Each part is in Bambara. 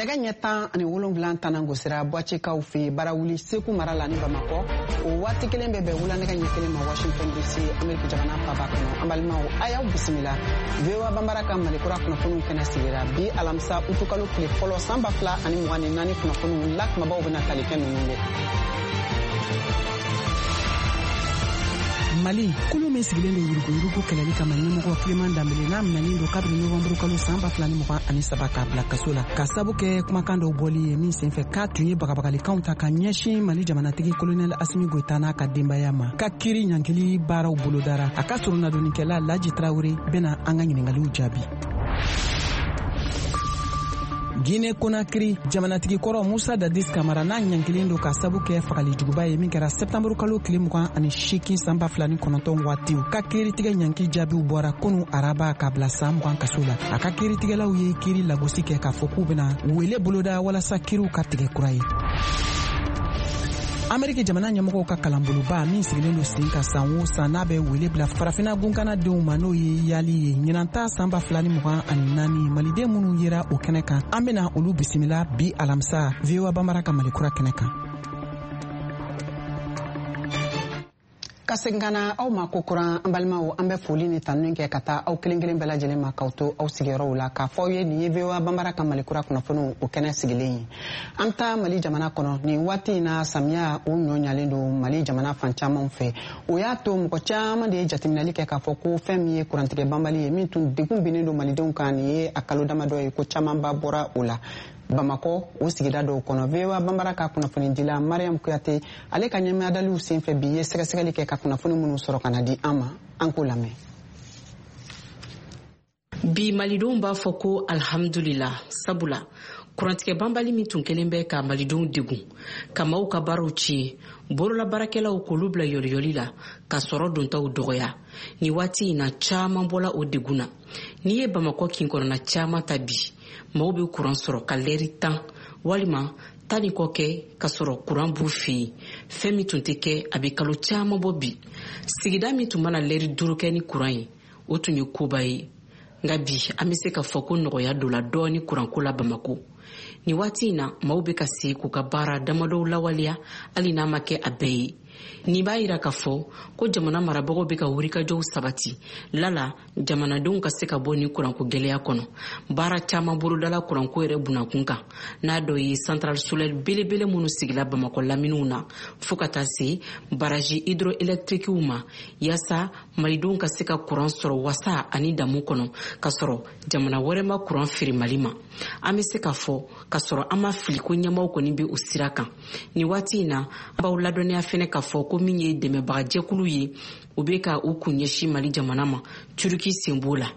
Nɛgɛ ɲɛ 17 tanan gosira Buwacekaw fɛ Barawuli, Segu mara la ni Bamakɔ. O waati kelen bɛ bɛn wula nɛgɛ ɲɛ 1 ma Washington DC, Ameriki jamana faba kɔnɔ. An balimaw, a y'aw bisimila VOA Banbara ka Malikura kunnafoniw kɛnɛ sigira bi alamisa utukalo tile fɔlɔ san 2024. Kunnafoniw la kumabaw bɛna tali kɛ ninnu de. Mali kulu min sigilen don yuruguyurugu kɛlɛli kama, ɲɛmɔgɔ Clément Dembele, n'a minɛnen don kabini novanburu kalo san 2023 k'a bila kaso la ka sabu kɛ kumakan dɔw bɔli ye min senfɛ k'a tun ye bagabagalikanw ta ka ɲɛsin Mali jamanatigi Kolonɛl Asimi Goyita n'a ka denbaya ma, ka kiri ɲangili baaraw bolodara. A ka soronadonnikɛla Laji Tarawele bɛna an ka ɲiningaliw jaabi. Guinée Conakry, jamanatigi kɔrɔ Musa Dadis Kamara, n'a ɲangilen don ka sabu kɛ fagali juguba ye min kɛra sɛptanburu kalo tile 28 san 2009 waatiw, ka kiiritigɛ ɲangi jaabiw bɔra kunu araba ka bila san 20 kaso la. A ka kiiritigɛlaw ye kiiri lagosi kɛ k'a fɔ k'u bɛna wele boloda walasa kiiriw ka tigɛ kura ye. Ameriki jamana ɲɛmɔgɔw ka kalanboloba min sigilen don sen kan san o san, n'a bɛ wele bila Farafina gunkana denw ma, n'o ye YALI ye, ɲinan ta san 2024, maliden minnu yera o kɛnɛ kan, an bena olu bisimila bi alamisa VOA Banbara ka Malikura kɛnɛ kan. Ka segin ka na aw ma kokura, an balimaw, an bɛ foli ni tanuni kɛ ka taa aw kelen kelen bɛɛ lajɛlen ma k'aw to aw sigiyɔrɔw la, k'a fɔ aw ye nin ye VOA Banbara ka Malikura kunnafoniw o kɛnɛ sigilen ye. An bɛ taa Mali jamana kɔnɔ. Nin waati in na, samiya o ɲɔ ɲalen don Mali jamana fan caman fɛ. O y'a to mɔgɔ caman de ye jateminɛli kɛ k'a fɔ ko fɛn min ye kurantigɛ banbali ye, min tun degun binnen don malidenw kan nin ye a kalo damadɔ ye, ko camanba bɔra o la Bamakɔ o sigida dɔw kɔnɔ. VOA Banbara ka kunnafonidila Mariam Kuyate, ale ka ɲɛmadaliw senfɛ bi, ye sɛgɛsɛgɛli kɛ ka kunnafoni minnu sɔrɔ ka na di an ma, an k'o lamɛn. Bi malidenw b'a fɔ ko alhamdulila, sabula kurantigɛ banbali min tun kɛlen bɛ ka malidenw degun, ka maaw ka baaraw tiɲɛ, bololabaarakɛlaw k'olu bila yɔliyɔli la, ka sɔrɔ dontaw dɔgɔya, ni waati in na caaman bɔla o degun na. N'i ye Bamakɔ kin kɔnɔna caaman ta bi, maaw bɛ kuran sɔrɔ ka lɛri 10 walima 10 ni kɔ kɛ ka sɔrɔ kuran b'u fɛ yen, fɛn min tun tɛ kɛ a bɛ kalo caaman bɔ bi. Sigida min tun mana lɛri 5 kɛ ni kuran ye, o tun ye koba ye. Nka bi an bɛ se ka fɔ ko nɔgɔya donna dɔɔni kuranko la Bamako nin waati in na. Maaw bɛ ka se k'u ka baara damadɔw lawaleya, hali n'a ma kɛ a bɛɛ ye. Nin b'a yira k'a fɔ ko jamana marabagaw bɛ ka wulikajɔw sabati lala jamanadenw ka se ka bɔ nin kuranko gɛlɛya kɔnɔ. Baara caman bolodala kuranko yɛrɛ bunakun kan, n'a dɔ ye centrale solaire belebele minnu sigila Bamakɔ laminiw na, fɔɔ ka taa se baraji hydroélectriquew ma, yaasa malidenw ka se ka kuran sɔrɔ wasa ani damu kɔnɔ, ka sɔrɔ jamana wɛrɛ ma kuran feere Mali ma. An bɛ se k'a fɔ ka sɔrɔ an ma fili ko ɲɛmaw kɔni bɛ o sira kan nin waati in na. An b'aw ladɔnniya fɛnɛ k'a fɔ ko min ye dɛmɛbagajɛkulu ye, u bɛ ka u kun ɲɛsin Mali jamana ma, Turuki sen b'o la.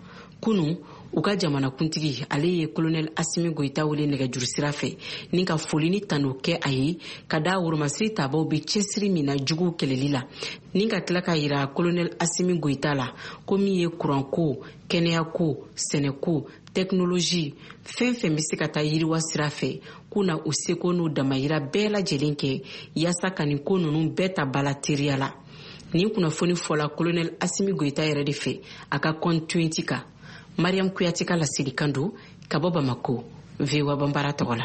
Kunu u ka jamanakuntigi, ale ye Kolonɛl Asimi Goyita wele nɛgɛjuru sira fɛ ni ka foli ni tanu kɛ a ye ka da woromasiri tabaw bɛ cɛsiri min na juguw kɛlɛli la, ni ka tila ka yira Kolonɛl Asimi Goyita la ko min ye kuranko, kɛnɛyako, sɛnɛko, tɛkinolozi, fɛn fɛn bɛ se ka taa yiriwa sira fɛ, k'u na u seko n'u damayira bɛɛ lajɛlen kɛ yaasa ka nin ko ninnu bɛɛ ta bala teriya la. Nin kunnafoni fɔla Kolonɛl Asimi Goyita yɛrɛ de fɛ a ka compte Twitter kan. Mariam Kuyate ka laselikan don ka bɔ Bamako, VOA Banbara tɔgɔ la.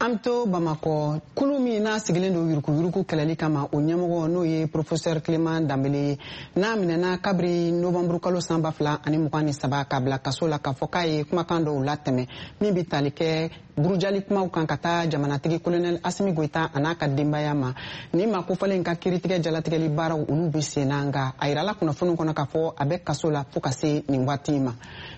An to Bamakɔ. Kulu min n'a sigilen don yuruguyurugu kɛlɛli kama, o ɲɛmɔgɔ, n'o ye professeur Clément Dembele ye, n'a minɛna kabiri novembre kalo san 2023 k'a bila kaso la, k'a fɔ k'a ye kumakan dɔw latɛmɛ min bɛ tali kɛ burujali kumaw kan ka taa jamanatigi Colonel Asimi Goyita a n'a ka denbaya ma. Nin maa kofɔlen ka kiiritigɛ jalatigɛli baaraw, olu bɛ sen na, nka a yirala kunnafoni kɔnɔ k'a fɔ a bɛ kaso la fo ka se nin waati in ma.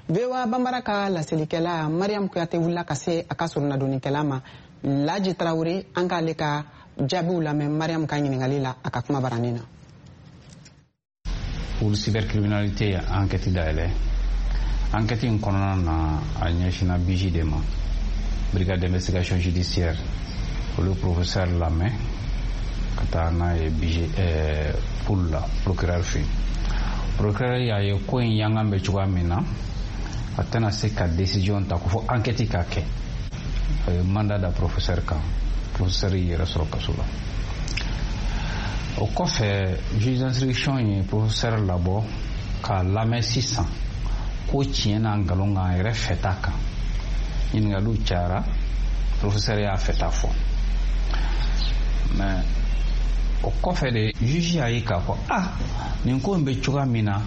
VOA Banbara ka laselikɛla Mariam Kuyate wulila ka se a ka soronadonnikɛla ma, Laji Tarawele. An k'ale ka jaabiw lamɛn Mariam ka ɲininkali la a ka kuma baranin na. Pour cybercriminalité, enquête dayɛlɛ. Enquête in kɔnɔna na, a ɲɛsinna BIJ de ma, brigade d'investigation judiciaire. Olu professeur lamɛn ka taa n'a ye BIJ Pool la, procureur fɛ yen. Procureur y'a ye ko in yangan bɛ cogoya min na, a tɛna se ka décision ta ko fo enquête ka kɛ. A ye mandat da professeur kan. Professeur y'i yɛrɛ sɔrɔ kaso la. O kɔfɛ, juge d'instruction ye professeur labɔ k'a lamɛn sisan ko tiɲɛ n'a nkalon kan, a yɛrɛ fɛta kan. Ɲininkaliw cayara, professeur y'a fɛta fɔ, mais o kɔfɛ de juge y'a ye k'a fɔ ah, nin ko in bɛ cogoya min na,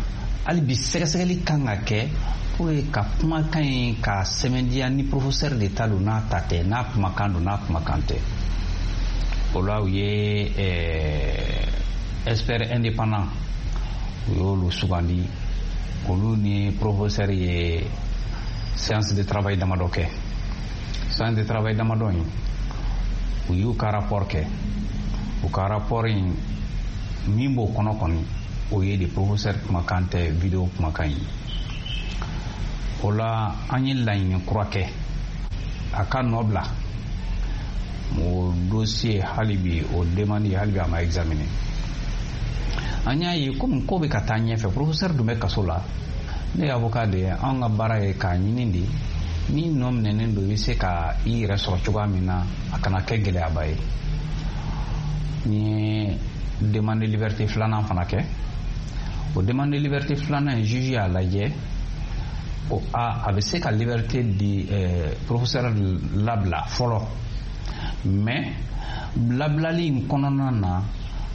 hali bi sɛgɛsɛgɛli kan ka kɛ pour que ka kumakan in ka sɛmɛntiya ni professeur de ta don, n'a ta tɛ, n'a kumakan don, n'a kumakan tɛ. O la, u ye expert indépendant, u y'olu sugandi. Olu ni professeur ye séance de travail damadɔ kɛ. Séance de travail damadɔ in, u y'u ka rapport kɛ. U ka rapport in, min b'o kɔnɔ kɔni, o ye de professeur kumakan tɛ vidéo kumakan ye. O la, an ye laɲini kura kɛ a ka nɔ bila o dossier. Hali bi, o demande, hali bi a ma examiner. An y'a ye komi ko bɛ ka taa ɲɛfɛ, professeur dun bɛ kaso la. Ne ye avocat de ye, anw ka baara ye k'a ɲini de ni nɔ minɛnen don, i bɛ se ka i yɛrɛ sɔrɔ cogoya min na, a kana kɛ gɛlɛyaba ye. N ye demande de liberté filanan fana kɛ. O demande de liberté filanan in, juge y'a lajɛ o a bɛ se ka liberté di, professeur labila fɔlɔ, mais labilali in kɔnɔna na,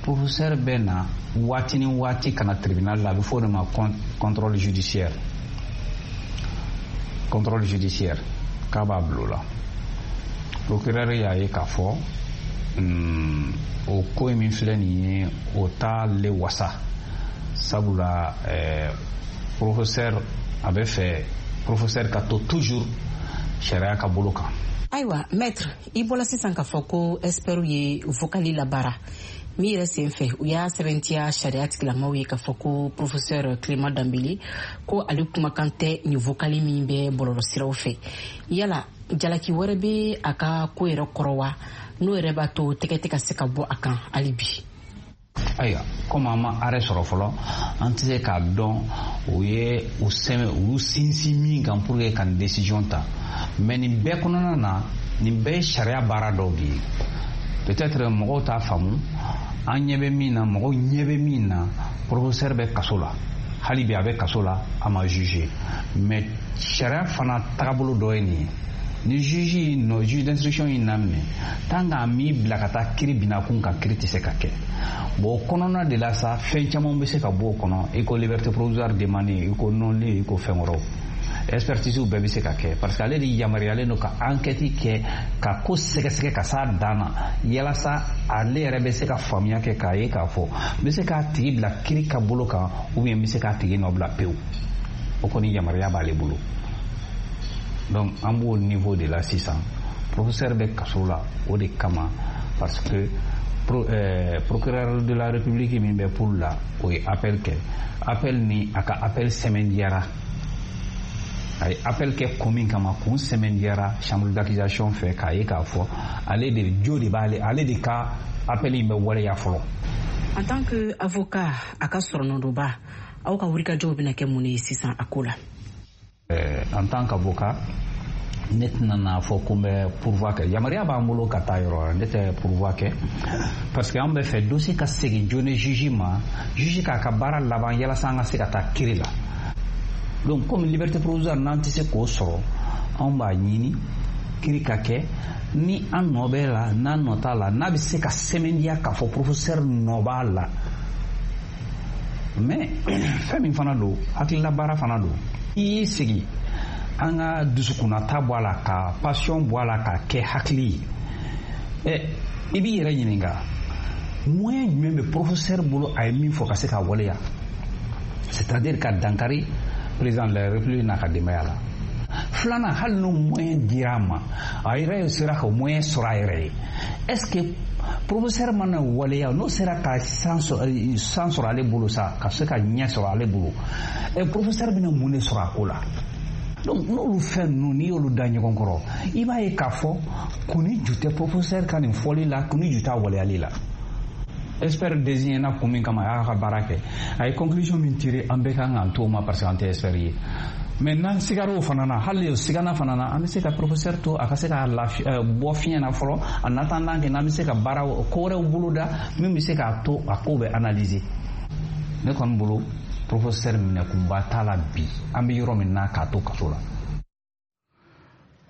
professeur bɛ na waati ni waati ka na tribunal la. A bɛ fɔ o de ma contrôle judiciaire. Contrôle judiciaire k'a b'a bila o la. Procureur y'a ye k'a fɔ o ko in min filɛ nin ye, o t'ale wasa, sabula professeur, a bɛ fɛ professeur ka to toujours sariya ka bolo kan. Ayiwa maître, i bɔla sisan k'a fɔ ko expert ye vocal labaara min yɛrɛ sen fɛ, u y'a sɛbɛntiya sariya tigilamaw ye k'a fɔ ko professeur Clément Dembélé, ko ale kumakan tɛ nin vocal min bɛ bɔlɔlɔsiraw fɛ. Yala jalaki wɛrɛ bɛ a ka ko yɛrɛ kɔrɔ wa, n'o yɛrɛ b'a to tɛgɛ tɛ ka se ka bɔ a kan hali bi? Ayiwa, komi an ma arrêt sɔrɔ fɔlɔ, an tɛ se k'a dɔn o ye u sɛmɛ, u y'u sinsin min kan pour que ka nin décision ta. Mais nin bɛɛ kɔnɔna na, nin bɛɛ ye sariya baara dɔw de ye. Peut-être mɔgɔw t'a faamu. An ɲɛ bɛ min na, mɔgɔw ɲɛ bɛ min na, professeur bɛ kaso la hali bi, a bɛ kaso la, a ma juger. Mais sariya fana tagabolo dɔ ye nin ye: ni juge y'i nɔ, juge d'instruction y'i naminɛ, tant k'a m'i bila ka taa kiri binna kun kan, kiri tɛ se ka kɛ. Bon, o kɔnɔna de la sa, fɛn caman bɛ se ka bɔ o kɔnɔ, i ko liberté provisoire demandée, i ko non-lieu, i ko fɛn wɛrɛw, expertise bɛɛ bɛ se ka kɛ, parce que ale de yamaruyalen don ka enquête kɛ, ka ko sɛgɛsɛgɛ ka s'a dan na, yalasa ale yɛrɛ bɛ se ka faamuya kɛ k'a ye k'a fɔ n bɛ se k'a tigi bila kiri ka bolo kan, ou bien n bɛ se k'a tigi nɔ bila pewu. O kɔni yamaruya b'ale bolo. Donc an b'o niveau de la sisan. Professeur bɛ kaso la o de kama, parce que procureur de la République min bɛ Pool la, o ye appel kɛ. Appel ni a ka appel sɛmɛndiyara. A ye appel kɛ kun min kama, kun sɛmɛndiyara chambre d'accusation fɛ k'a ye k'a fɔ ale de jo de b'ale, ale de ka appel in bɛ waleya fɔlɔ. En tant que avocat a ka sɔrɔnɔdonba, aw ka wulikajɔw bɛna kɛ mun de ye sisan a ko la? En tant qu'avocat, ne tɛna n'a fɔ ko n bɛ pourvoi kɛ. Yamaruya b'an bolo ka taa yɔrɔ wɛrɛ. Ne tɛ pourvoi kɛ, parce que an bɛ fɛ dossier ka segin joona juge ma, juge k'a ka baara laban, yalasa an ka se ka taa kiri la. Donc comme liberté provisoire, n'an tɛ se k'o sɔrɔ, anw b'a ɲini kiri ka kɛ, ni an nɔ bɛ la, n'an nɔ t'a la, n'a bɛ se ka sɛmɛntiya k'a fɔ professeur nɔ b'a la. Mais fɛn min fana don, hakilila baara fana don. I y'i sigi, an ka dusukunnata bɔ a la, ka passion bɔ a la, ka kɛ hakili ye. Ɛ, i b'i yɛrɛ ɲininka, moyen jumɛn bɛ professeur bolo a ye min fɔ ka se k'a waleya, c'est-à-dire ka dankari président de la République n'a ka denbaya la? Filanan, hali n'o moyen dira a ma, a yɛrɛ sera ka moyen sɔrɔ a yɛrɛ ye, est ce que professeur mana waleya, n'o sera ka san sɔrɔ ale bolo sa, ka se ka ɲɛ sɔrɔ ale bolo, ɛ, professeur bɛna mun de sɔrɔ a ko la? Donc n'olu fɛn ninnu, n'i y'olu da ɲɔgɔn kɔrɔ, i b'a ye k'a fɔ kun ni ju tɛ professeur ka nin fɔli la, kun ni ju t'a waleyali la. Expert désigné na kun min kama, a y'a ka baara kɛ, a ye conclusion min tiré, an bɛɛ kan k'an t'o ma, parce que an tɛ expert ye. Mais n'an sigara o fana na, hali o sigana fana na, an bɛ se ka professeur to a ka se ka lafi bɔ fiɲɛ na fɔlɔ, en attendant que n'an bɛ se ka baara ko wɛrɛw boloda min bɛ se k'a to a ko bɛ analyser. Ne kɔni bolo, professeur minɛkunba t'a la bi, an bɛ yɔrɔ min na, k'a to kaso la.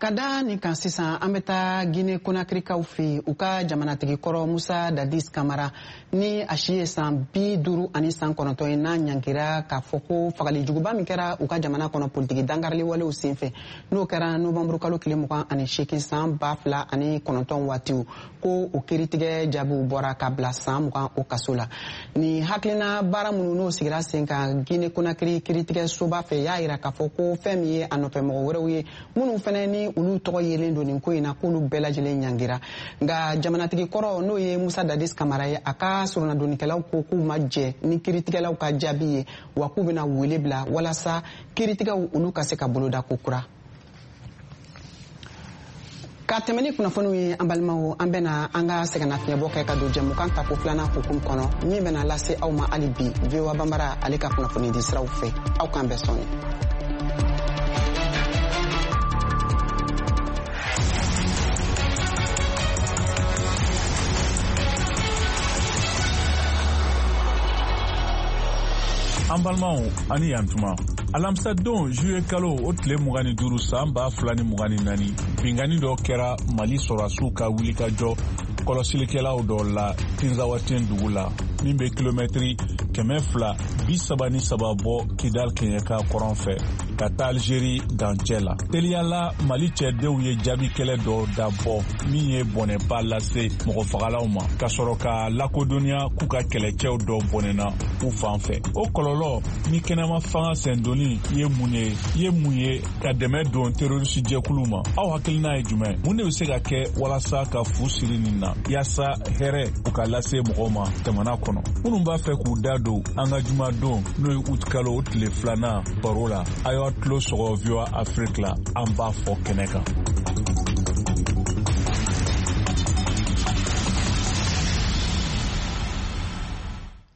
Ka da nin kan sisan, an bɛ taa Guinée Conakrykaw fɛ yen. U ka jamanatigi kɔrɔ Musa Dadis Kamara, ni a si ye san 59 ye, n'a ɲangira k'a fɔ ko fagali juguba min kɛra u ka jamana kɔnɔ politiki dankarili walew senfɛ, n'o kɛra novanburu kalo tile 28 san 2009 waatiw, ko o kiiritigɛ jaabiw bɔra ka bila san 20 o kaso la. Nin hakilina baara minnu n'o sigira sen kan Guinée Conakry kiiritigɛ soba fɛ, y'a yira k'a fɔ ko fɛn min ye a nɔfɛ mɔgɔ wɛrɛw ye minnu fɛnɛ ni olu tɔgɔ yelen don nin ko in na, k'olu bɛɛ lajɛlen ɲangira. Nka jamanatigi kɔrɔ, n'o ye Musa Dadis Kamara ye, a ka soronadonnikɛlaw ko k'u ma jɛ ni kiiritigɛlaw ka jaabi ye, wa k'u bɛna wele bila walasa kiiritigɛw olu ka se ka boloda ko kura. Ka tɛmɛ ni kunnafoniw ye, an balimaw, an bɛna an ka sɛgɛnnafiɲɛbɔ kɛ ka don jɛmukan tako filanan hukumu kɔnɔ, min bɛna lase aw ma hali bi VOA Banbara ale ka kunnafoni di siraw fɛ. Aw k'an bɛɛ sɔnni. An balimaw, ani yantuma. Alamisadon, juye kalo o tile 25 san 2024, binkanni dɔ kɛra Mali sɔrɔdasiw ka wulikajɔ kɔlɔsilikɛlaw dɔ la Tinzawaten dugu la, min bɛ kilomɛtiri 233 bɔ Kidal kɛɲɛka kɔrɔn fɛ ka taa Algérie dancɛ la. Teliyala, Mali cɛdenw ye jaabi kɛlɛ dɔ dabɔ min ye bɔnɛba lase mɔgɔfagalaw ma, ka sɔrɔ ka lakodɔnniya k'u ka kɛlɛcɛw dɔ bɔnɛna u fan fɛ. O kɔlɔlɔ ni kɛnɛma fanga sendonni ye mun ye ye mun ye ka dɛmɛ don terorisi jɛkulu ma? Aw hakilina ye jumɛn? Mun de bɛ se ka kɛ walasa ka fu siri nin na, yaasa hɛrɛ u ka lase mɔgɔw ma jamana kɔnɔ? Minnu b'a fɛ k'u da don an ka jumadon, n'o ye uti kalo o tile filanan baro la, a y'aw tulo sɔgɔ VOA Afrique la, an b'a fɔ kɛnɛ kan.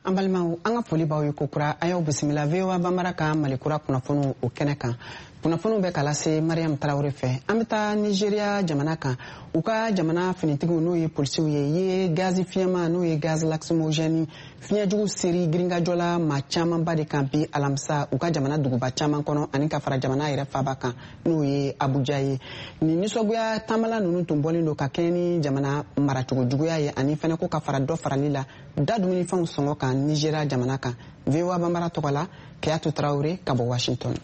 An balimaw, an ka foli b'aw ye kokura. A y'aw bisimila VOA Banbara ka Malikura kunnafoniw o kɛnɛ kan. Kunnafoniw bɛ ka lase Mariam Tarawele fɛ. An bɛ taa Nigeria jamana kan. U ka jamana finitigiw, n'o ye polisiw ye, ye gazi fiɲɛma, n'o ye gaz lacrymogène fiɲɛjugu seri girinkajɔ la maa camanba de kan bi alamisa, u ka jamana duguba caman kɔnɔ, ani ka fara jamana yɛrɛ faba kan, n'o ye Abuja ye. Nin nisɔngoya taamala ninnu tun bɔlen don ka kɛɲɛ ni jamana maracogo juguya ye, ani fɛnɛ ko ka fara dɔ farali la da dumunifɛnw sɔngɔ kan Nigeria jamana kan. VOA Banbara tɔgɔ la, Keyatu Tarawele ka bɔ Washington.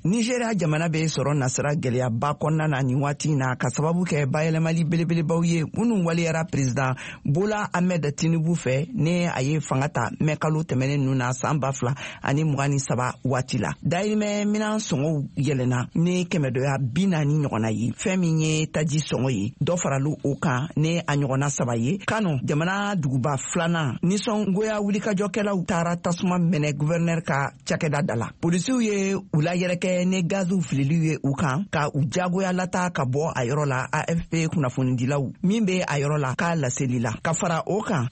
Nigeria jamana bɛ sɔrɔ nasira gɛlɛyaba kɔnɔna na nin waati na, ka sababu kɛ bayɛlɛmali belebelebaw ye minnu waleyara président Bola Ahmed Tinubu fɛ, ne a ye fanga ta mɛ kalo tɛmɛnen ninnu na san 2023 waati la. Dayirimɛ minan sɔngɔw yɛlɛnna ni kɛmɛdɔya 40 ɲɔgɔnna ye. Fɛn min ye taji sɔngɔ ye, dɔ faralu o kan ni a ɲɔgɔnna saba ye. Kano, jamana duguba filanan, nisɔngoya wulikajɔkɛlaw taara tasuma mɛnɛ gouverneur ka cakɛda da la. Polisiw ye u layɛrɛkɛ ni gaziw fililiw ye u kan, ka u jagoya lata ka bɔ a yɔrɔ la, AFP kunnafonidilaw min be a yɔrɔ la k'a laseli la. Ka fara o kan,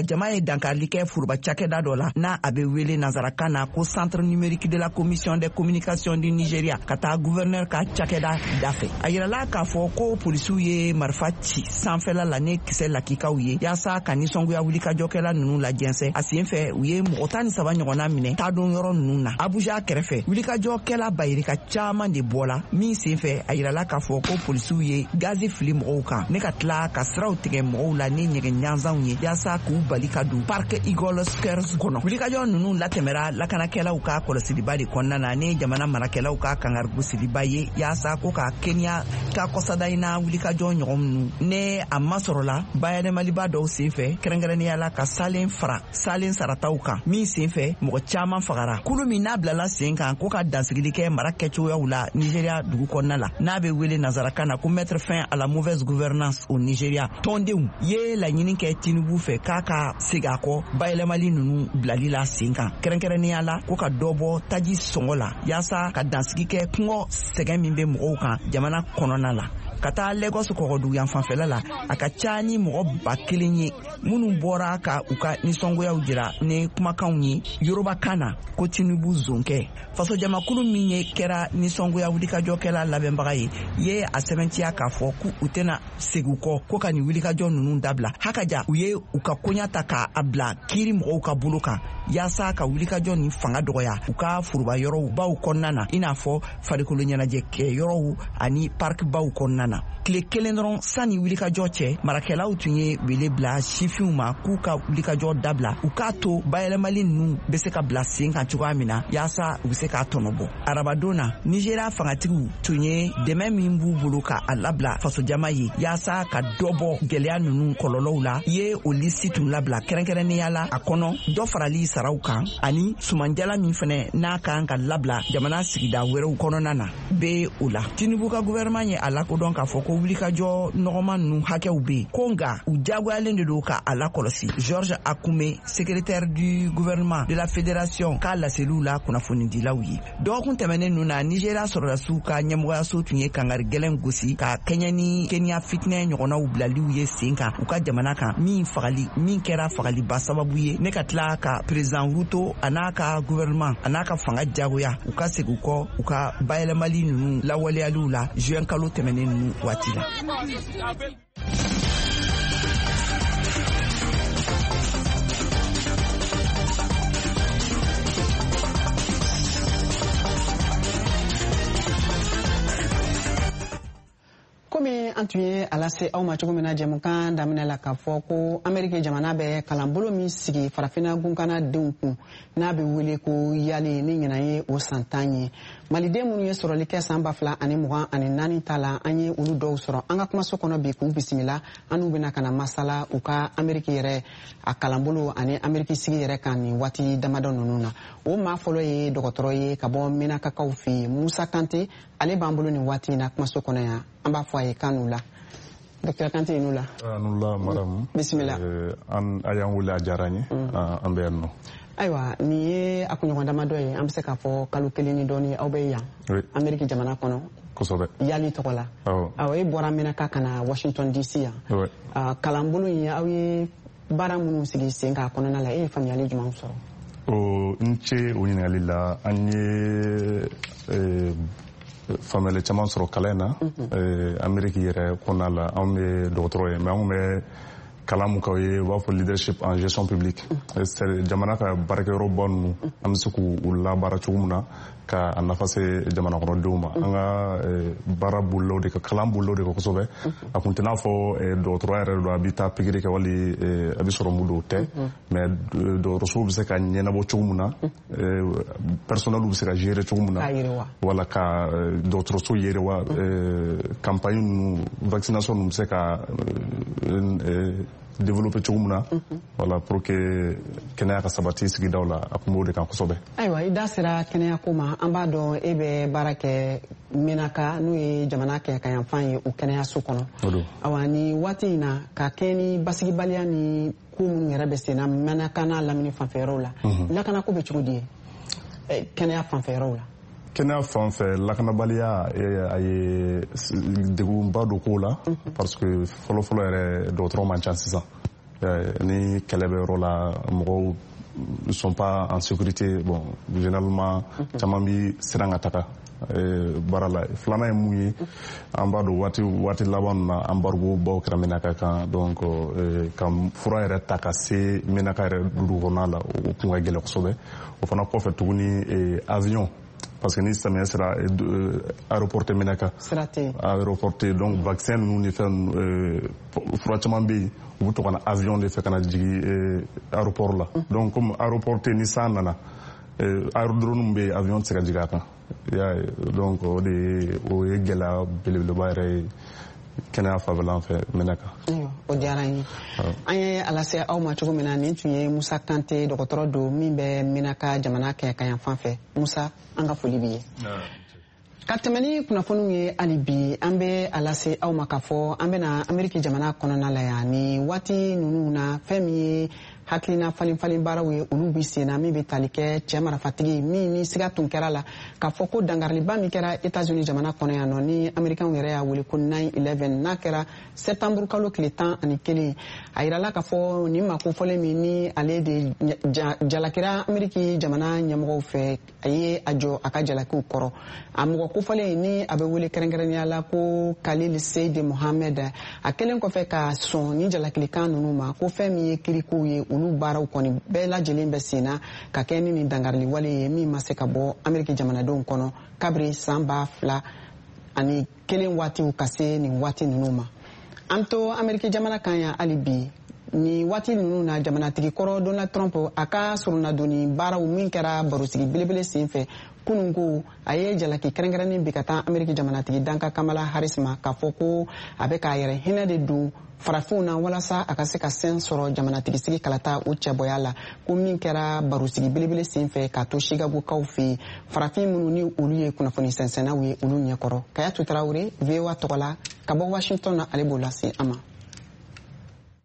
jama ye dankarili kɛ foroba cakɛda dɔ la, n'a a be wele nansarakan na ko Centre numérique de la Commission des communications du Nigeria, ka taa gouverneur ka cakɛda da fɛ. A yirala k'a fɔ ko polisiw ye marifa ci sanfɛla la ni kisɛ lakikaw ye, yaasa ka nisɔngoya wulikajɔkɛla nunu lajɛnsɛ. A sen fɛ, u ye mɔgɔ 13 ɲɔgɔnna minɛ taadon yɔrɔ nunu na. Abuja kɛrɛfɛ, wulikajɔkɛla bayirika caaman de bɔla min sen fɛ, a yirala k'a fɔ ko polisiw ye gazi fili mɔgɔw kan ne ka tila ka siraw tigɛ mɔgɔw la ni ɲɛgɛn ɲanzanw ye, yaasa k'u bali ka don Park Eagle Squares kɔnɔ. Wulikajɔ nunu latɛmɛra lakanakɛlaw ka kɔlɔsiliba de kɔnɔna na, ni jamana marakɛlaw ka kangarigosiliba ye, yaasa ko ka Kenya ka kɔsada in na wulikajɔ ɲɔgɔn nunu ne a masɔrɔla bayɛlɛmaliba dɔw sen fɛ, kɛrɛnkɛrɛnnenya la ka salen fara salen sarataw kan, min sen fɛ mɔgɔ caaman fagara. Kulu min n'a bilala sen kan ko ka dansigili kɛ mara kɛcogoyaw la Nigeria dugu kɔnɔna la, n'a be wele nansarakan na ko Mettre fin à la mauvaise gouvernance au Nigeria, tɔndenw ye laɲini kɛ Tinubu fɛ k'a ka segin a kɔ bayɛlɛmali nunu bilali la sen kan, kɛrɛnkɛrɛnnenya la ko ka dɔ bɔ taji sɔngɔ la, yaasa ka dansigi kɛ kɔngɔ sɛgɛn min be mɔgɔw kan jamana kɔnɔna la. Ka taa Lagos kɔgɔduguyan fanfɛla la, a ka ca ni mɔgɔ 1000 ye minnu bɔra ka u ka nisɔngoyaw jira ni kumakanw ye Yorobakan na ko Tinubu zonkɛ. Fasojamakulu min ye kɛra nisɔngoya wulikajɔkɛla labɛnbaga ye, ye a sɛbɛntiya k'a fɔ k'u u tɛna segin kɔ ko ka nin wulikajɔ ninnu dabila. Hakaja, u ye u ka koɲa ta k'a bila kiiri mɔgɔw ka bolo kan. yaasa ka wulikajɔ ni fanga dɔgɔya u ka foroba yɔrɔw baw kɔnɔna na, i n'a fɔ farikolo ɲɛnajɛ yɔrɔw ani parc baw kɔnɔna na. Tile kelen dɔrɔn sanni wulikajɔ cɛ, marakɛlaw tun ye wele bila sifinw ma k'u ka wulikajɔ dabila, u k'a to bayɛlɛmali ninnu bɛ se ka bila sen kan cogoya min na yaasa u bɛ se k'a tɔnɔ bɔ. Arabadon na, Nigéria fangatigiw tun ye dɛmɛ min b'u bolo ka a labila fasojama ye yaasa ka dɔ bɔ gɛlɛya ninnu kɔlɔlɔw la, ye o lisi tun labila kɛrɛnkɛrɛnnenya la a kɔnɔ dɔ farali saraw kan ani sumanjala min fɛnɛ n'a kan ka labila jamana sigida wɛrɛw kɔnɔna na bɛ o la. Tinubu ka gouvernement ye a lakodɔn k'a fɔ ko wulikajɔ nɔgɔman ninnu hakɛw bɛ yen, ko nka u diyagoyalen de don ka a lakɔlɔsi. Georges Akume, secrétaire du gouvernement de la fédération, k'a laseliw la kunnafonidilaw ye. Dɔgɔkun tɛmɛnen ninnu na, Nigéria sɔrɔdasiw ka ɲɛmɔgɔyaso tun ye kangari gɛlɛn gosi ka kɛɲɛ ni Kenya fitinɛ ɲɔgɔnnaw bilaliw ye sen kan u ka jamana kan, min fagali min kɛra fagaliba sababu ye ne ka tila ka président Ruto a n'a ka gouvernement a n'a ka fanga diyagoya u ka segin u kɔ u ka bayɛlɛmali ninnu lawaleyaliw la juin kalo tɛmɛnen ninnu waati la. Komi an tun ye a lase aw ma cogo min na jɛmukan daminɛ la, k'a fɔ ko Ameriki jamana bɛ kalanbolo min sigi farafinna gunkana denw kun n'a bɛ wele ko YALI, ni ɲinan ye o san 10 ye, maliden minnu ye sɔrɔli kɛ san 2024 ta la, an ye olu dɔw sɔrɔ an ka kumaso kɔnɔ bi k'u bisimila. An n'u bɛna ka na masala u ka Ameriki yɛrɛ a kalanbolo ani Ameriki sigi yɛrɛ kan nin waati damadɔ ninnu na. O maa fɔlɔ ye dɔgɔtɔrɔ ye ka bɔ Menakakaw fɛ yen, Musa Kante. Ale b'an bolo nin waati in na kumaso kɔnɔ yan. An b'a fɔ a ye k'an n'u la. Docteur Kante, i n'u la. An la, madame. Bisimila. An a y'an wele, a diyara an ye. An bɛ yan nɔ. Ayiwa, nin ye a kunɲɔgɔn damadɔ ye, an bɛ se k'a fɔ kalo kelen ni dɔɔni, aw bɛ yan Ameriki jamana kɔnɔ. Kosɛbɛ. YALI tɔgɔ la. Awɔ, e bɔra Menaka ka na Washington DC yan. Kalanbolo in, aw ye baara minnu sigi sen kan a kɔnɔna la, e ye faamuyali jumɛn sɔrɔ? O n ce o ɲininkali la. An ye faamuyali caman sɔrɔ kalan in na Ameriki yɛrɛ kɔnɔna la. Anw bɛ dɔgɔtɔrɔ ye, mais anw bɛ kalan mun k'aw ye, u b'a fɔ leadership en gestion publique, jamana ka baarakɛyɔrɔba ninnu, an bɛ se k'u labaara cogo min na ka a nafa se jamana kɔnɔdenw ma. An ka baara bolila o de kan, kalan bolila o de kan kosɛbɛ. A kun tɛ n'a fɔ dɔgɔtɔrɔya yɛrɛ don, a bɛ taa pikiri kɛ wali a bɛ sɔrɔ mun don, o tɛ, mais dɔgɔtɔrɔsow bɛ se ka ɲɛnabɔ cogo min na, personnel bɛ se ka gérer cogo min na, wala ka dɔgɔtɔrɔso yiriwa, campagne ninnu, vaccination ninnu bɛ se ka développer cogo min na, voilà, pour que kɛnɛya ka sabati sigidaw la. A kun b'o de kan kosɛbɛ. Ayiwa, i da sera kɛnɛya ko ma. An b'a dɔn e bɛ baara kɛ Menaka, n'o ye jamana kɛɲɛkayanfan ye, o kɛnɛyaso kɔnɔ. Awa, ni waati in na, ka kɛɲɛ ni basigibaliya ni ko minnu yɛrɛ bɛ sen na Menaka n'a lamini fanfɛyɔrɔw la, lakanako bɛ cogo di ye kɛnɛya fanfɛyɔrɔw la? Kɛnɛya fan fɛ, lakanabaliya a ye degunba don ko la, parce que fɔlɔfɔlɔ yɛrɛ, dɔgɔtɔrɔ man ca sisan. Ni kɛlɛ bɛ yɔrɔ la, mɔgɔw ne sont pas en sécurité. Bon, généralement caman bi siran ka taga baara la. Filanan ye mun ye? An b'a dɔn waati waati laban na, embargo baw kɛra Menaka kan. Donc ka fura yɛrɛ ta ka se Menaka yɛrɛ dugu kɔnɔna la, o kun ka gɛlɛn kosɛbɛ. O fana kɔfɛ tuguni, avion, parce que ni samiya sera, aéroport tɛ Menaka, aéroport tɛ. Donc vaccin ninnu ni fɛn fura caman bɛ yen, u bɛ to ka na avion de fɛ ka na jigin aéroport la. Donc comme aéroport tɛ, ni san nana, aérodrome bɛ yen, avion tɛ se ka jigin a kan, i y'a ye. Donc o de ye, o ye gɛlɛya belebeleba yɛrɛ ye kɛnɛya fanfɛla fɛ Menaka. O diyara n ye. An ye a lase aw ma cogo min na, nin tun ye Musa Kante, dɔgɔtɔrɔ don min bɛ Menaka jamana kɛɲɛkayanfan fɛ. Musa, an ka foli b'i ye. Ka tɛmɛ ni kunnafoniw ye hali bi, an bɛ a lase aw ma k'a fɔ an bɛna Ameriki jamana kɔnɔna la yan. Ni waati ninnu na, fɛn min ye hakilina falen falen baaraw ye, olu bi sen na, min bɛ tali kɛ cɛ marafatigi min ni siga tun kɛra la k'a fɔ ko dankariliba min kɛra Etats-Unis jamana kɔnɔ yan nɔ, ni Amerikɛnw yɛrɛ y'a wele ko 9/11, n'a kɛra septembre kalo tile 11. A yirala k'a fɔ nin maa kofɔlen min ni ale de jalakira Ameriki jamana ɲɛmɔgɔw fɛ, a ye a jɔ a ka jalakiw kɔrɔ. A mɔgɔ kofɔlen ni a bɛ wele kɛrɛnkɛrɛnnenya la ko Khalil Seyid Mohamed, a kɛlen kɔfɛ ka sɔn ni jalakilikan ninnu ma, ko fɛn min ye kirikow ye, olu olu baaraw kɔni bɛɛ lajɛlen bɛ sen na ka kɛ ni nin dankarili wale ye min ma se ka bɔ Ameriki jamanadenw kɔnɔ kabiri san 2001 waatiw ka se nin waati ninnu ma. An to Ameriki jamana kan yan hali bi ni waati ninnu na, jamanatigi kɔrɔ Donald Trump a ka soronadonni baaraw min kɛra barosigi belebele sen fɛ kunun, ko a ye jalaki kɛrɛnkɛrɛnnen bi ka taa Ameriki jamanatigi danka Kamala Harris ma, k'a fɔ ko a bɛ k'a yɛrɛ hinɛ de don farafinw na walasa a ka se ka sɛn sɔrɔ jamanatigisigi kalata o cɛbɔya la. Ko min kɛra barosigi belebele sen fɛ k'a to Chicagokaw fɛ yen, farafin minnu ni olu ye kunnafoni sɛnsɛnnaw ye, olu ɲɛkɔrɔ. Kayatu Tarawele, VOA tɔgɔ la ka bɔ Washington na, ale b'o lase an ma.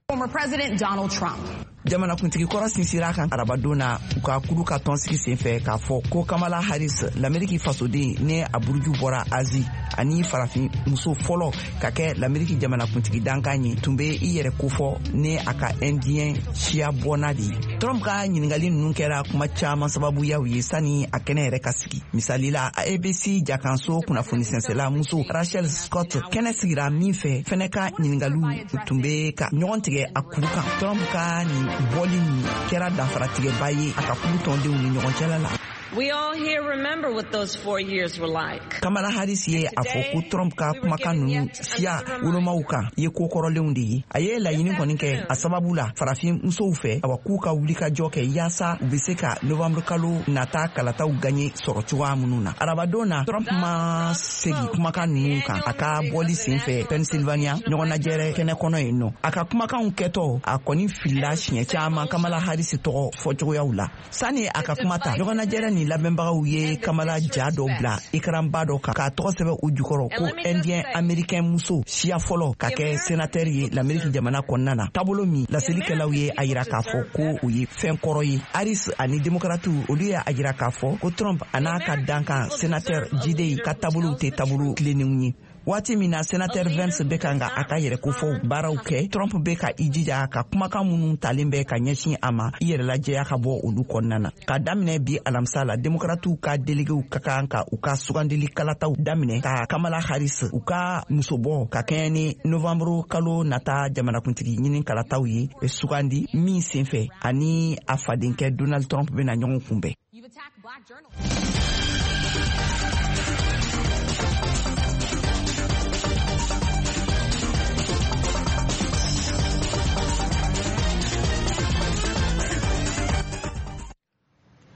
Former President Donald Trump. Jamanakuntigi kɔrɔ sinsira kan arabadon na, u ka kulu ka tɔnsigi sen fɛ, k'a fɔ ko Kamala Harris, Lameriki fasoden ni a buruju bɔra Azi ani farafin muso fɔlɔ ka kɛ Lameriki jamanakuntigi dankan ye, tun bɛ i yɛrɛ kofɔ ni a ka Indien siya bɔnna de ye. Trump ka ɲiningali ninnu kɛra kuma caman sababuyaw ye sani a kɛnɛ yɛrɛ ka sigi. Misali la, ABC jakanso kunnafoni sɛnsɛla muso Rachel Scott, kɛnɛ sigira min fɛ fɛnɛ, ka ɲiningaliw tun bɛ ka ɲɔgɔn tigɛ a kuru kan. Trump ka nin bɔli nin kɛra danfaratigɛba ye a ka kulu tɔndenw ni ɲɔgɔn cɛla la. We all here remember what those 4 years were like. Kamala Harris ye a fɔ ko Trump ka kumakan ninnu siya wolomaw kan ye ko kɔrɔlenw de ye. A ye laɲini kɔni kɛ a sababu la farafin musow fɛ, awa, k'u ka wulikajɔ kɛ yaasa u be se ka novembre kalo nata kalataw gaɲe sɔrɔ cogoya minnu na. Arabadon na, Trump ma segi kumakan ninnu kan a ka bɔli sen fɛ Pennsylvania ɲɔgɔnnajɛrɛ kɛnɛ kɔnɔ yen nɔ. A ka kumakanw kɛtɔ, a kɔni filila siɲɛ caaman Kamala Harris tɔgɔ fɔcogoyaw la. Sani a ka kuma ta, ɲɔgɔnnajɛrɛ nin labɛnbagaw ye Kamala ja dɔ bila ikaranba dɔ kan k'a tɔgɔ sɛbɛ u jukɔrɔ ko Indien Américain muso siya fɔlɔ ka kɛ sénateur ye Lameriki jamana kɔnɔna na. Taabolo min laselikɛlaw ye a yira k'a fɔ ko o ye fɛn kɔrɔ ye, Harris ani Demokratiw, olu ye a yira k'a fɔ ko Trump a n'a ka dankan sénateur jidey ka taabolow tɛ taabolo tilennenw ye. Waati min na sénateur Vance bɛ kan ka a ka yɛrɛkofɔw baaraw kɛ, Trump bɛ ka i jija ka kumakan minnu talen bɛ ka ɲɛsin a ma, i yɛrɛ lajɛya ka bɔ olu kɔnɔna na. Ka daminɛ bi alamisa la, Demokratiw ka delegew ka kan ka u ka sugandili kalataw daminɛ ka Kamala Harris, u ka musobɔ ka kɛɲɛ ni novembre kalo nata jamanakuntigi ɲini kalataw ye, sugandi min senfɛ ani a fadenkɛ Donald Trump bɛna ɲɔgɔn kunbɛn. You've attacked black journalists.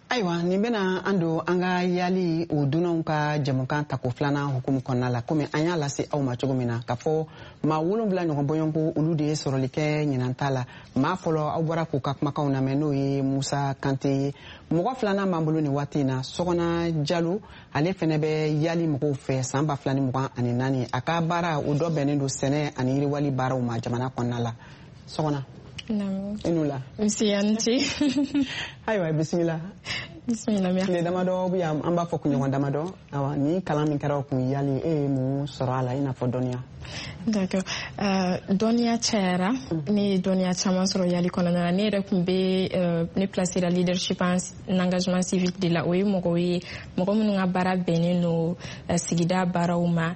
Ayiwa, nin bena an don an ka yali o dunanw ka jɛmukan tako filanan hukumu kɔnɔna la. Komi an y'a lase aw ma cogo min na, k'a fɔ maa 7 ɲɔgɔn bɔɲɔgɔnko, olu de ye sɔrɔli kɛ ɲinan ta la. Maa fɔlɔ, aw bɔra k'u ka kumakanw lamɛn, n'o ye Musa Kante ye. Mɔgɔ filanan b'an bolo nin waati in na, Sɔgɔna Jalo. Ale fɛnɛ bɛ yali mɔgɔw fɛ san 2024. A ka baara o dɔ bɛnnen don sɛnɛ ani yiriwali baaraw ma jamana kɔnɔna la. Sɔgɔna, i n'u la. Nse, a ni ce. Ayiwa, bisimila. Bisimila, merci. Tile damadɔ bɛ yan, an b'a fɔ kunɲɔgɔn damadɔ. Awa, ni kalan min kɛra o kun yali, e ye mun sɔrɔ a la, i n'a fɔ dɔnniya? D'accord. Dɔnniya cayara. Ne ye dɔnniya caman sɔrɔ yali kɔnɔna na. Ne yɛrɛ tun bɛ ne placé la leadership en engagement civique de la. O ye mɔgɔw ye, mɔgɔ minnu ka baara bɛnnen don sigida baaraw ma,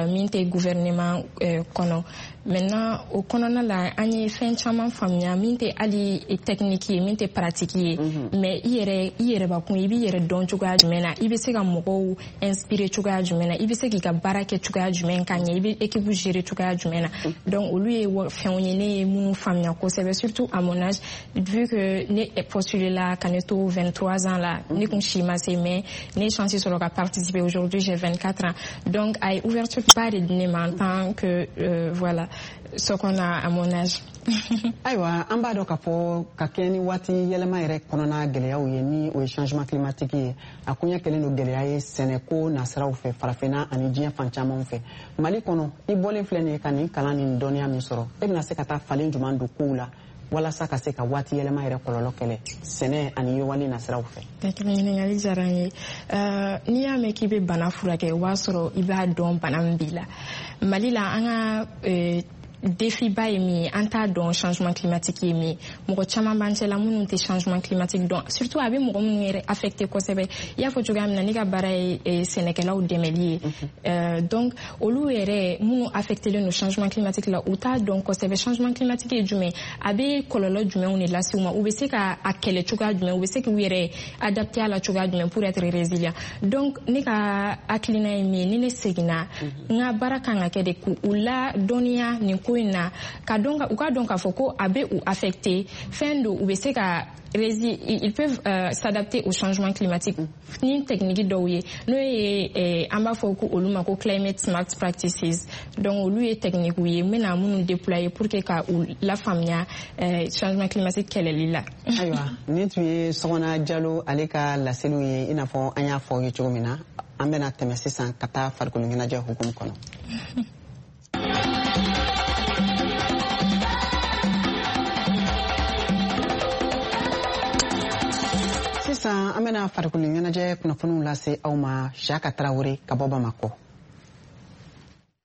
min tɛ gouvernement kɔnɔ. Maintenant, o kɔnɔna la, an ye fɛn caman faamuya min tɛ hali technique ye, min tɛ pratique ye. Mais i yɛrɛ, i yɛrɛbakun, i b'i yɛrɛ dɔn cogoya jumɛn na, i bɛ se ka mɔgɔw inspirer cogoya jumɛn na, i bɛ se k'i ka baara kɛ cogoya jumɛn ka ɲɛ, i bɛ équipe gérer cogoya jumɛn na. Donc olu ye fɛnw ye ne ye minnu faamuya kosɛbɛ, surtout à mon âge, vu que ne postulé la ka ne to 23 ans la, ne kun si ma se, mais ne ye chance sɔrɔ ka participer. Aujourd'hui, j'ai 24 ans, donc a ye ouverture ba de di ne ma en tant que voilà, ce qu'on a à mon âge. Ayiwa, an b'a dɔn k'a fɔ ka kɛɲɛ ni waati yɛlɛma yɛrɛ kɔnɔna gɛlɛyaw ye, ni o ye changement climatique ye, a koɲɛ kɛlen don gɛlɛya ye sɛnɛko nasiraw fɛ Farafinna ani diɲɛ fan camanw fɛ. Mali kɔnɔ, i bɔlen filɛ nin ye ka nin kalan ni dɔnniya min sɔrɔ, e bɛna se ka taa falen jumɛn don kow la walasa ka se ka waati yɛlɛma yɛrɛ kɔlɔlɔ kɛlɛ sɛnɛ ani yiriwali nasiraw fɛ? Ɲininkali diyara n ye. N'i y'a mɛn k'i bɛ bana furakɛ, o b'a sɔrɔ i b'a dɔn bana min b'i la. Mali la, an ka Défi ba ye min ye, an t'a dɔn changement climatique ye min ye. Mɔgɔ caman b'an cɛla minnu tɛ changement climatique dɔn, surtout a bɛ mɔgɔ minnu yɛrɛ affecté kosɛbɛ. I y'a fɔ cogoya min na, ne ka baara ye sɛnɛkɛlaw dɛmɛli ye. Donc olu yɛrɛ minnu affectélen don changement climatique la, u t'a dɔn kosɛbɛ changement climatique ye jumɛn, a bɛ kɔlɔlɔ jumɛnw de lase u ma, u bɛ se ka a kɛlɛ cogoya jumɛn, u bɛ se k'u yɛrɛ adapté a la cogoya jumɛn pour être résilient. Donc ne ka hakilina ye min ye, ni ne seginna, n ka baara kan ka kɛ de k'u la dɔnniya nin ko in na, ka dɔn u ka dɔn k'a fɔ ko a bɛ u affecté, fɛn don u bɛ se ka ils peuvent s'adapter au changement climatique ni technique dɔw ye, n'o ye an b'a fɔ ko olu ma ko climate smart practices. Donc olu ye technique ye n bɛna minnu déployer pour que ka u lafaamuya changement climatique kɛlɛli la. Ayiwa, nin tun ye Sɔgɔna Jalo ale ka laseliw ye. I n'a fɔ an y'a fɔ aw ye cogo min na, an bɛna tɛmɛ sisan ka taa farikolo ɲɛnajɛ hukumu kɔnɔ. Sisan an bɛna farikolo ɲɛnajɛ kunnafoniw lase aw ma. Siaka Tarawele ka bɔ Bamakɔ.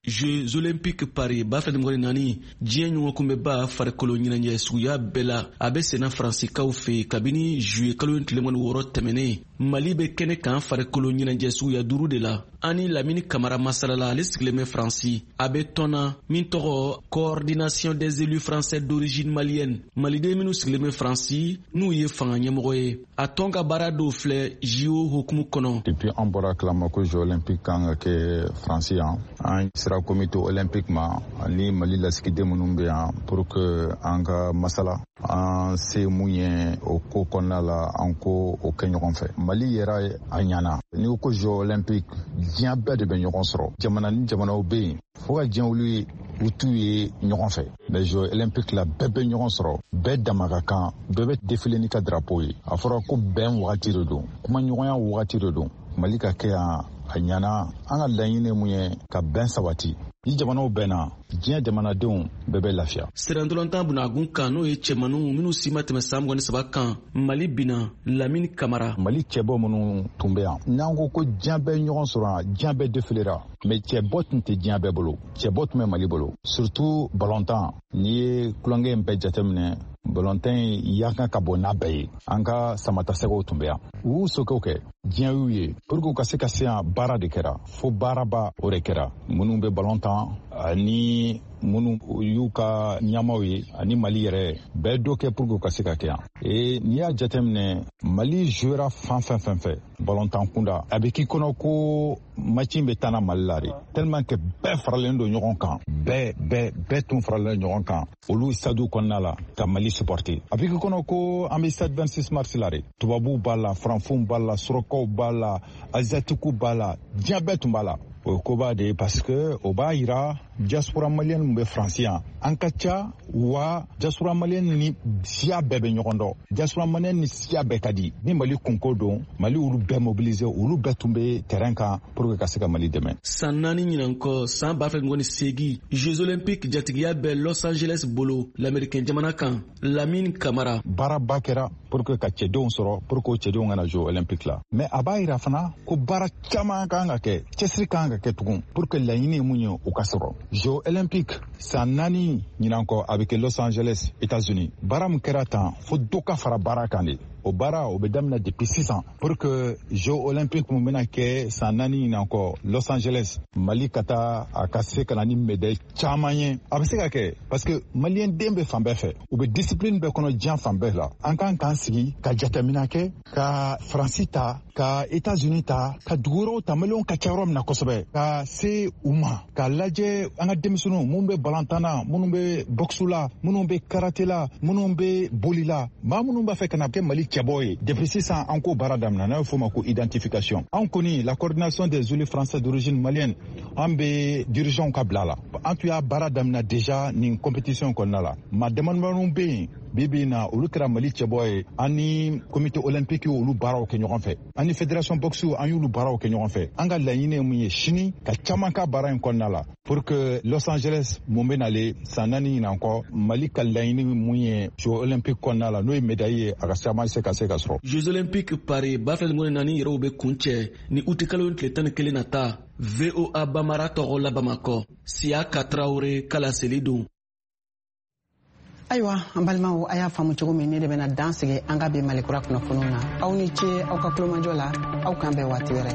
Jeux Olympiques Paris 2024, diɲɛ ɲɔgɔnkunbɛba farikolo ɲɛnajɛ suguya bɛɛ la, a bɛ senna Faransikaw fɛ kabini juillet kalo 26 tɛmɛnen. Mali bɛ kɛnɛ kan farikolo ɲɛnajɛ suguya 5 de la. Ani Lamini Kamara masalala, ale sigilen bɛ Faransi. A bɛ tɔn na min tɔgɔ Coordination des élus français d'origine malienne, maliden minnu sigilen bɛ Faransi n'u ye fanga ɲɛmɔgɔ ye. A tɔn ka baara dɔw filɛ JO hukumu kɔnɔ. Depuis an bɔra kalama ko Jeux olympiques kan ka kɛ Faransi yan, an sera comité olympique ma ani Mali lasigiden minnu bɛ yan pour que an ka masala an se mun ye o ko kɔnɔna la, an ko o kɛ ɲɔgɔn fɛ. Mali yɛrɛ a ɲana. N'i ko Jeux olympiques, diɲɛ bɛɛ de bɛ ɲɔgɔn sɔrɔ. Jamana ni jamanaw bɛ yen fo ka diɲɛ wuli ye, u t'u ye ɲɔgɔn fɛ. Mais Jeux olympiques la, bɛɛ bɛ ɲɔgɔn sɔrɔ, bɛɛ dama ka kan, bɛɛ bɛ défiler n'i ka drapeau ye. A fɔra ko bɛn wagati de don, kumaɲɔgɔnya wagati de don. Mali ka kɛ yan a ɲana. An ka laɲini mun ye ka bɛn sabati. Ni jamanaw bɛnna, diɲɛ jamanadenw bɛɛ bɛ lafiya. Sirantɔlantan bunagun kan, n'o ye cɛmaninw minnu si ma tɛmɛ san 23 kan, Mali binna. Lamini Kamara. Mali cɛbɔ minnu tun bɛ yan, n'an ko ko diɲɛ bɛɛ ɲɔgɔn sɔrɔ yan, diɲɛ bɛɛ défilera, mais cɛbɔ tun tɛ diɲɛ bɛɛ bolo, cɛbɔ tun bɛ Mali bolo, surtout balontan. N'i ye tulonkɛ in bɛɛ jateminɛ, balontan in yankan ka bon n'a bɛɛ ye. An ka samatasɛgɛw tun bɛ yan, u y'u sokɛw kɛ, diɲɛ y'u ye. Pour que u ka se ka se yan, baara de kɛra, fo baaraba o de kɛra. Minnu bɛ balon tan ani minnu y'u ka ɲɛmaaw ye ani Mali yɛrɛ bɛɛ dɔ kɛ pour que u ka se ka kɛ yan. Et n'i y'a jateminɛ, Mali jouera fan fɛn fɛn fɛ balontan kunda, a bɛ k'i kɔnɔ ko match in bɛ taa na Mali la de, tellement que bɛɛ faralen don ɲɔgɔn kan, bɛɛ bɛɛ bɛɛ tun faralen don ɲɔgɔn kan olu stade kɔnɔna la ka Mali supporter. A bɛ k'i kɔnɔ ko an bɛ stade 26 mars la de. Tubabuw b'a la, faranfinw b'a la, surakaw b'a la, asiatiques b'a la, diɲɛ bɛɛ tun b'a la. O ye koba de ye, parce que o b'a yira diaspora malienne min bɛ Faransi yan, an ka ca wa. Diaspora malienne ni siya bɛɛ bɛ ɲɔgɔn dɔn, diaspora malienne ni siya bɛɛ ka di. Ni Mali kunko don, Mali olu bɛɛ mobiliser, olu bɛɛ tun bɛ terrain kan pour que ka se ka Mali dɛmɛ. San 4 ɲinan kɔ, san 2028, Jeux olympiques jatigiya bɛ Los Angeles bolo, l'Américain jamana kan. Lamine Kamara. Baaraba kɛra pour que ka cɛdenw sɔrɔ, pour que o cɛdenw kana Jeux olympiques la. Mais a b'a yira fana ko baara caman kan ka kɛ, cɛsiri kan ka kɛ tugun pour que laɲini ye mun ye, o ka sɔrɔ. Jeux olympiques san 4 ɲinan kɔ, a bɛ kɛ Los Angeles, États-Unis. Baara min kɛra tan, fo dɔ ka fara baara kan de. O baara o bɛ daminɛ depuis sisan pour que Jeux olympiques mun bɛna kɛ san 4 ɲinan kɔ Los Angeles, Mali ka taa a ka se ka na ni médaille caman ye. A bɛ se ka kɛ parce que maliyɛn den bɛ fan bɛɛ fɛ, u bɛ discipline bɛɛ kɔnɔ diɲɛ fan bɛɛ la. An kan k'an sigi ka jateminɛ kɛ, ka Faransi ta, ka États-Unis ta, ka dugu wɛrɛw ta, maliyɛnw ka ca yɔrɔ min na kosɛbɛ, ka se u ma, k'a lajɛ an ka denmisɛnninw minnu bɛ balontan na, minnu bɛ boxe la, minnu bɛ karaté la, minnu bɛ boli la, maa minnu b'a fɛ ka na kɛ Mali cɛbɔ ye. Depuis sisan an k'o baara daminɛ, n'a bɛ f'o ma ko identification. An kɔni, la Coordination des élus français d'origine malienne, an bɛ dirigeants ka bila la. An tun y'a baara daminɛ déjà nin compétition kɔnɔna la. Maa damadamaninw bɛ yen bi bi in na, olu kɛra Mali cɛbɔ ye. An ni comité olympique olu baaraw kɛ ɲɔgɔn fɛ, an ni fédération boxe an y'olu baaraw kɛ ɲɔgɔn fɛ. An ka laɲini ye mun ye sini, ka caman ka baara in kɔnɔna la pour que Los Angeles mun bɛ nale san 4 ɲinan kɔ, Mali ka laɲini mun ye Jeux olympiques kɔnɔna la, n'o ye médaille ye, a ka caman se ka se ka sɔrɔ. Jeux olympiques Paris 2024 yɛrɛw bɛ kuncɛ ni uti kalo tile 11 nata. VOA Bamara tɔgɔ la Bamakɔ, Siaka Traoré kala seli don. Ayiwa, an balimaw, a y'a faamu cogo min, ne de bɛna dan sigi an ka bi Malikura kunnafoniw na. Aw ni ce aw ka tulomajɔ la. Aw k'an bɛn waati wɛrɛ.